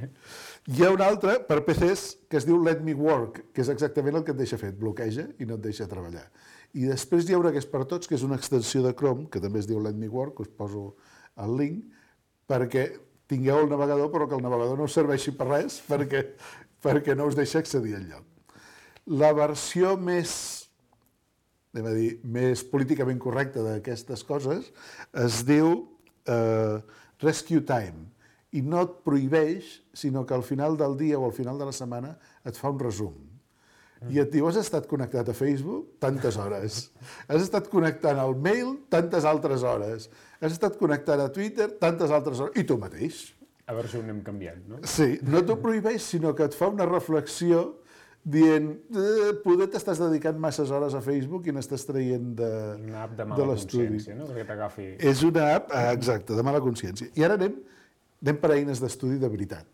Hi ha un altre per PCs que es diu Let Me Work, que és exactament el que et deixa fer, et bloqueja i no et deixa treballar. I després hi ha una que és per tots, que és una extensió de Chrome, que també es diu Let Me Work, us poso el link, perquè tingueu el navegador, però que el navegador no us serveixi per res, perquè no us deixa accedir enlloc. La versió més políticament correcta d'aquestes coses es diu Rescue Time, i no et prohibeix, sinó que al final del dia o al final de la setmana et fa un resum. I et diu, has estat connectat a Facebook tantes hores, has estat connectant al mail tantes altres hores, has estat connectant a Twitter tantes altres hores, i tu mateix. A veure si ho anem canviant, no? Sí, no t'ho prohibeix, sinó que et fa una reflexió dient, poder t'estàs dedicant masses hores a Facebook i n'estàs traient de l'estudi. Una app de mala consciència, no? Perquè t'agafi... És una app, exacte, de mala consciència. I ara anem per eines d'estudi de veritat.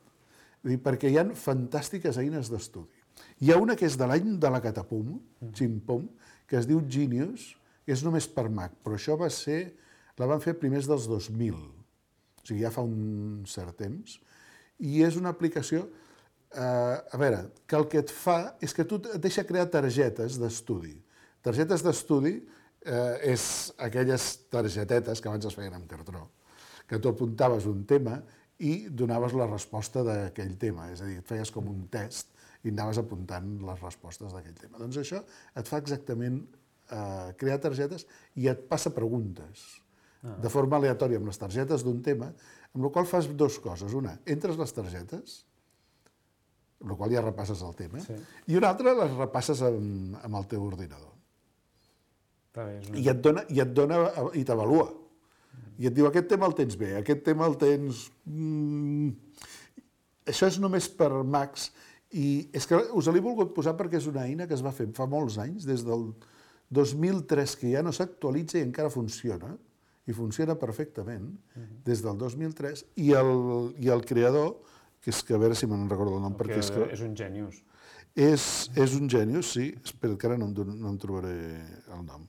Perquè hi ha fantàstiques eines d'estudi. Hi ha una que és de l'any de la Catapum, Chimpom, que es diu Genius, que és només per Mac, però això la van fer primers dels 2000, o sigui, ja fa un cert temps, i és una aplicació, que el que et fa és que tu et deixa crear targetes d'estudi. Targetes d'estudi és aquelles targetetes que abans es feien amb cartró, que tu apuntaves un tema i donaves la resposta d'aquell tema, és a dir, et feies com un test i anaves apuntant les respostes d'aquell tema. Doncs això et fa exactament crear targetes i et passa preguntes de forma aleatòria amb les targetes d'un tema, amb la qual fas dues coses. Una, entres les targetes, amb la qual ja repasses el tema, i una altra les repasses amb el teu ordinador. I et dona i t'avalua. I et diu, aquest tema el tens bé, aquest tema el tens... Això és només per Macs, i és que us l'he volgut posar perquè és una eina que es va fer fa molts anys, des del 2003, que ja no s'actualitza i encara funciona, i funciona perfectament, des del 2003, i el creador, que és que a veure si me'n recordo el nom, perquè és que... És un genius. És un genius, sí, espera, que ara no em trobaré el nom.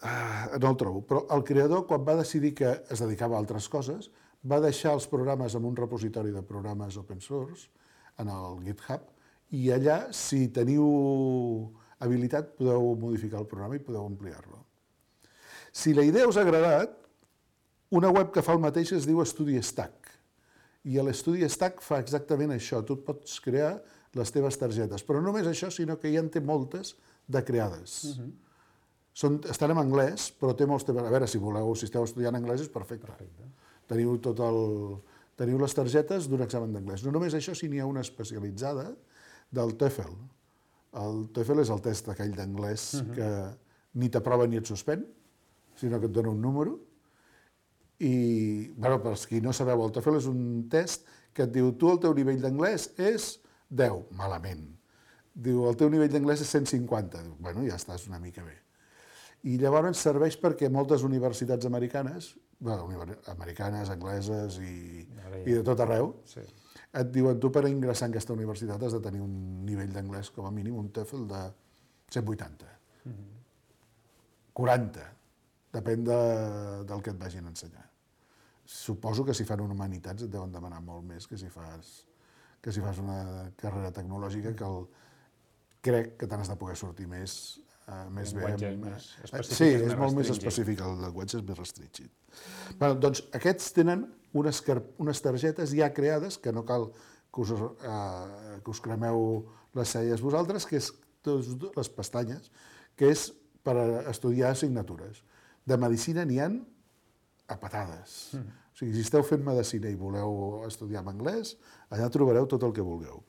No el trobo, però el creador, quan va decidir que es dedicava a altres coses, va deixar els programes en un repositori de programes open source, en el GitHub, i allà, si teniu habilitat, podeu modificar el programa i podeu ampliar-lo. Si la idea us ha agradat, una web que fa el mateix es diu StudiStack, i l'StudiStack fa exactament això, tu pots crear les teves targetes, però no només això, sinó que ja en té moltes de creades. Estan en anglès, però té molts temes. A veure, si esteu estudiant anglès és perfecte. Teniu les targetes d'un examen d'anglès. No només això, sinó n'hi ha una especialitzada del TOEFL. El TOEFL és el test aquell d'anglès que ni t'aprova ni et suspèn, sinó que et dona un número. I, bueno, per als qui no sabeu, el TOEFL és un test que et diu tu el teu nivell d'anglès és 10, malament. Diu el teu nivell d'anglès és 150. Diu, bueno, ja estàs una mica bé. I llavors serveix perquè moltes universitats americanes, americanes, angleses i de tot arreu, et diuen tu per ingressar en aquesta universitat has de tenir un nivell d'anglès com a mínim, un TOEFL de 180, 40, depèn del que et vagin a ensenyar. Suposo que si fan humanitats et deuen demanar molt més que si fas una carrera tecnològica que crec que te n'has de poder sortir més bé. Sí, és molt més específic, el llenguatge és més restringit. Doncs aquests tenen unes targetes ja creades, que no cal que us cremeu les celles vosaltres, que és les pestanyes, que és per estudiar assignatures. De medicina n'hi ha a patades. O sigui, si esteu fent medicina i voleu estudiar en anglès, allà trobareu tot el que vulgueu.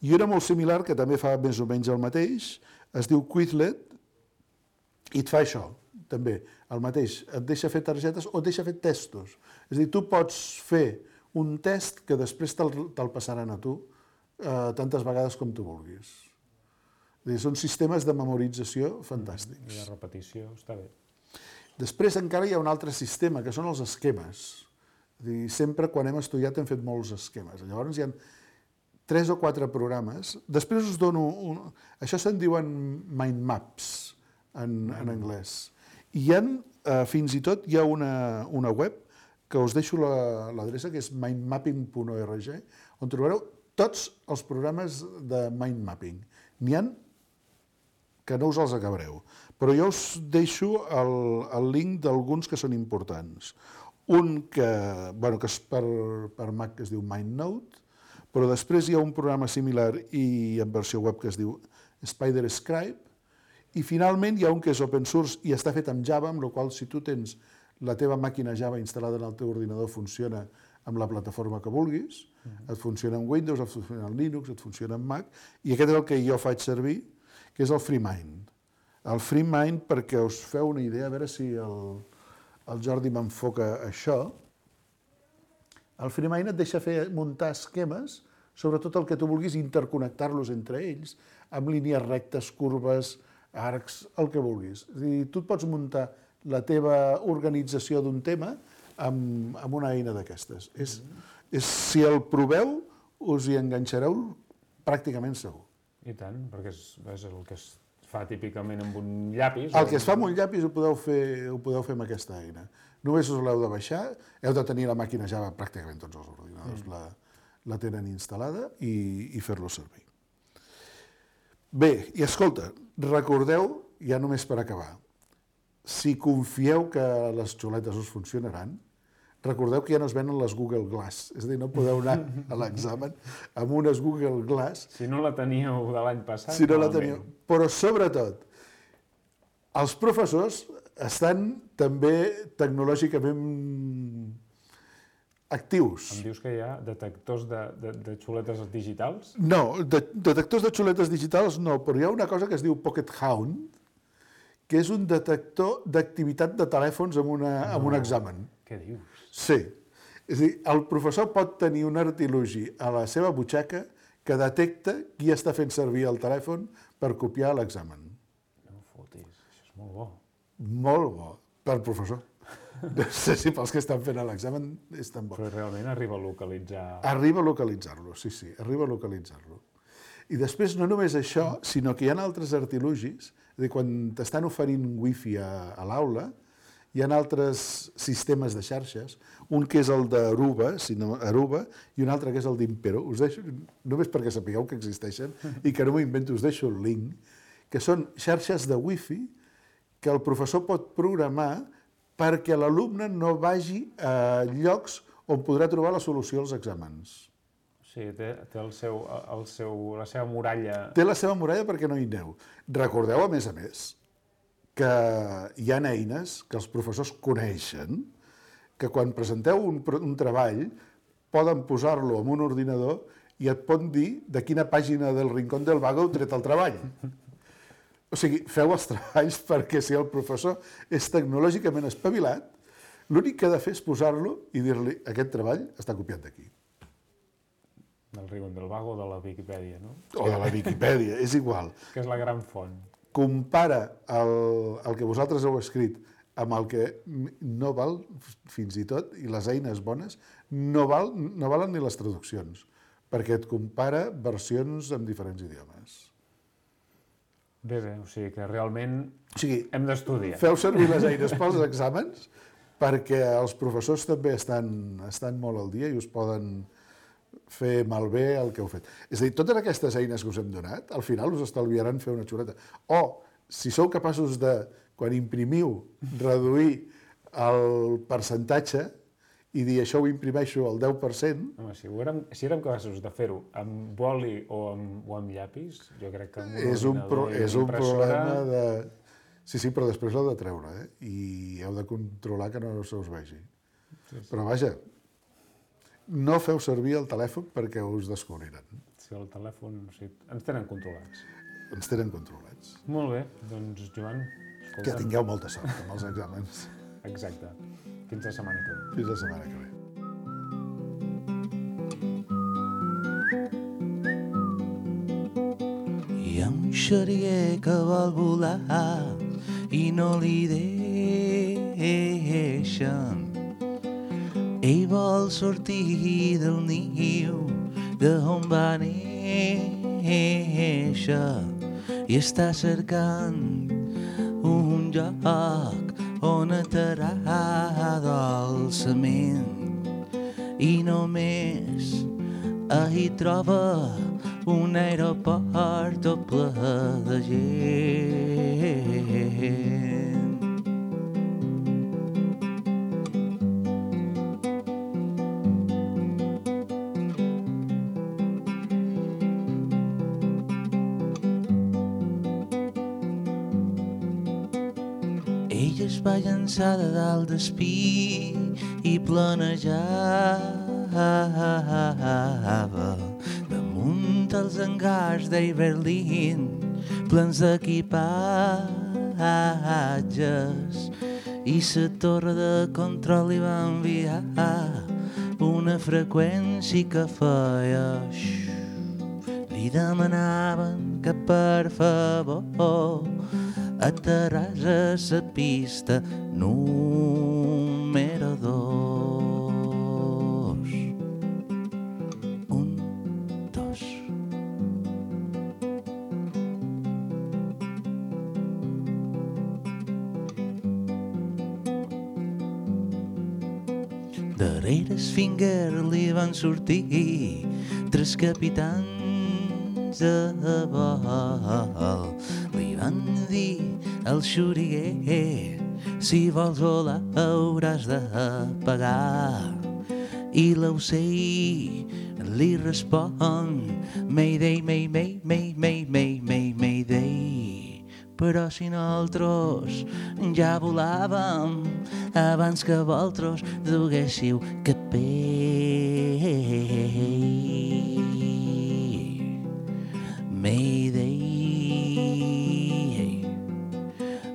I una molt similar, que també fa més o menys el mateix, es diu Quizlet, i et fa això, també, el mateix. Et deixa fer targetes o et deixa fer testos. És a dir, tu pots fer un test que després te'l passaran a tu tantes vegades com tu vulguis. És a dir, són sistemes de memorització fantàstics. I de repetició, està bé. Després encara hi ha un altre sistema, que són els esquemes. És a dir, sempre quan hem estudiat hem fet molts esquemes. Llavors hi ha 3 o 4 programes. Després us dono... Això se'n diuen mind maps en anglès. I fins i tot hi ha una web que us deixo l'adreça, que és mindmapping.org, on trobareu tots els programes de mind mapping. N'hi ha que no us els acabareu, però jo us deixo el link d'alguns que són importants. Un que és per Mac, que es diu MindNote, però després hi ha un programa similar i en versió web que es diu SpiderScribe, i finalment hi ha un que és open source i està fet amb Java, amb la qual si tu tens la teva màquina Java instal·lada en el teu ordinador funciona amb la plataforma que vulguis, et funciona en Windows, et funciona en Linux, et funciona en Mac, i aquest és el que jo faig servir, que és el FreeMind. El FreeMind, perquè us feu una idea, a veure si el Jordi m'enfoca això, el FreeMind et deixa muntar esquemes sobre tot el que tu vulguis, interconnectar-los entre ells, amb línies rectes, curves, arcs, el que vulguis. És a dir, tu et pots muntar la teva organització d'un tema amb una eina d'aquestes. Si el proveu, us hi enganxareu pràcticament segur. I tant, perquè és el que es fa típicament amb un llapis. El que es fa amb un llapis ho podeu fer amb aquesta eina. Només us l'heu de baixar, heu de tenir la màquina Java, pràcticament tots els ordinadors la tenen instal·lada i fer-lo servir. Bé, i escolta, recordeu, ja només per acabar, si confieu que les xuletes us funcionaran, recordeu que ja no es venen les Google Glass, és a dir, no podeu anar a l'examen amb unes Google Glass. Si no la teníeu de l'any passat, si no la teníeu. Però sobretot, els professors estan també tecnològicament actius. Em dius que hi ha detectors de xuletes digitals? No, detectors de xuletes digitals no, però hi ha una cosa que es diu Pocket Hound, que és un detector d'activitat de telèfons en un examen. Què dius? Sí. És a dir, el professor pot tenir un artilugi a la seva butxaca que detecta qui està fent servir el telèfon per copiar l'examen. No fotis, això és molt bo. Molt bo, per professor. No sé si pels que estan fent l'examen és tan bo. Però realment arriba a localitzar... Arriba a localitzar-lo, sí, arriba a localitzar-lo. I després no només això, sinó que hi ha altres artilugis, és a dir, quan t'estan oferint wifi a l'aula, hi ha altres sistemes de xarxes, un que és el d'Aruba, i un altre que és el d'Impero. Us deixo, només perquè sapigueu que existeixen i que no m'ho invento, us deixo el link, que són xarxes de wifi que el professor pot programar perquè l'alumne no vagi a llocs on podrà trobar la solució als exàmens. O sigui, té la seva muralla... Té la seva muralla perquè no hi aneu. Recordeu, a més, que hi ha eines que els professors coneixen, que quan presenteu un treball poden posar-lo en un ordinador i et pot dir de quina pàgina del Rincón del Vago heu tret el treball. O sigui, feu els treballs perquè si el professor és tecnològicament espavilat, l'únic que ha de fer és posar-lo i dir-li aquest treball està copiat d'aquí. Del Rincón del Vago o de la Viquipèdia, no? O de la Viquipèdia, és igual. Que és la gran font. Compara el que vosaltres heu escrit amb el que no val, fins i tot, i les eines bones, no valen ni les traduccions, perquè et compara versions en diferents idiomes. Bé, o sigui que realment hem d'estudiar. Feu servir les eines pels exàmens, perquè els professors també estan molt al dia i us poden fer malbé el que heu fet. És a dir, totes aquestes eines que us hem donat, al final us estalviaran fer una xuleta. O, si sou capaços de, quan imprimiu, reduir el percentatge i dir això ho imprimeixo al 10%... Home, si érem capaços de fer-ho amb boli o amb llapis, jo crec que amb un ordinador és un problema de... Sí, però després l'heu de treure, i heu de controlar que no se us vegi. Però vaja, no feu servir el telèfon perquè us descobriran. Sí, el telèfon... Ens tenen controlats. Ens tenen controlats. Molt bé, doncs, Joan, escolta'm. Que tingueu molta sort amb els exàmens. Exacte. Fins la setmana que ve. Fins la setmana que ve. Hi ha un xeriguer que vol volar i no li deixen. Ell vol sortir del niu d'on va néixer i està cercant un lloc on aterrar dolçament i només hi troba un aeroport tot ple de gent. Ella es va llançar de dalt d'espí i planejava damunt els hangars d'Iberlín plens d'equipatges i la torre de control li va enviar una freqüència que feia li demanaven que per favor aterràs a la pista número 2. 1, 2. Darrere Finger li van sortir 3 capitans a vol. Li van dir al xuriguer, si vols volar hauràs de pagar. I l'ocell li respon, Mayday, Mayday, Mayday, Mayday, Mayday. Però si nosaltres ja volàvem abans que vosaltres duguéssiu capell. Mayday,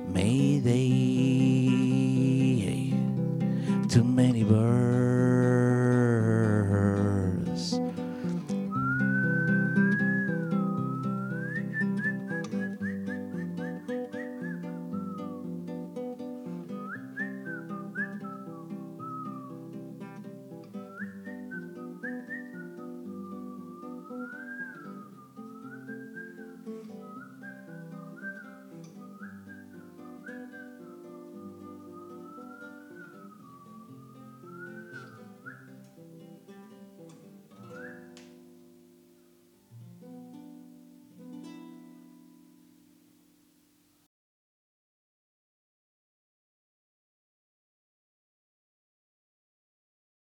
Mayday, too many birds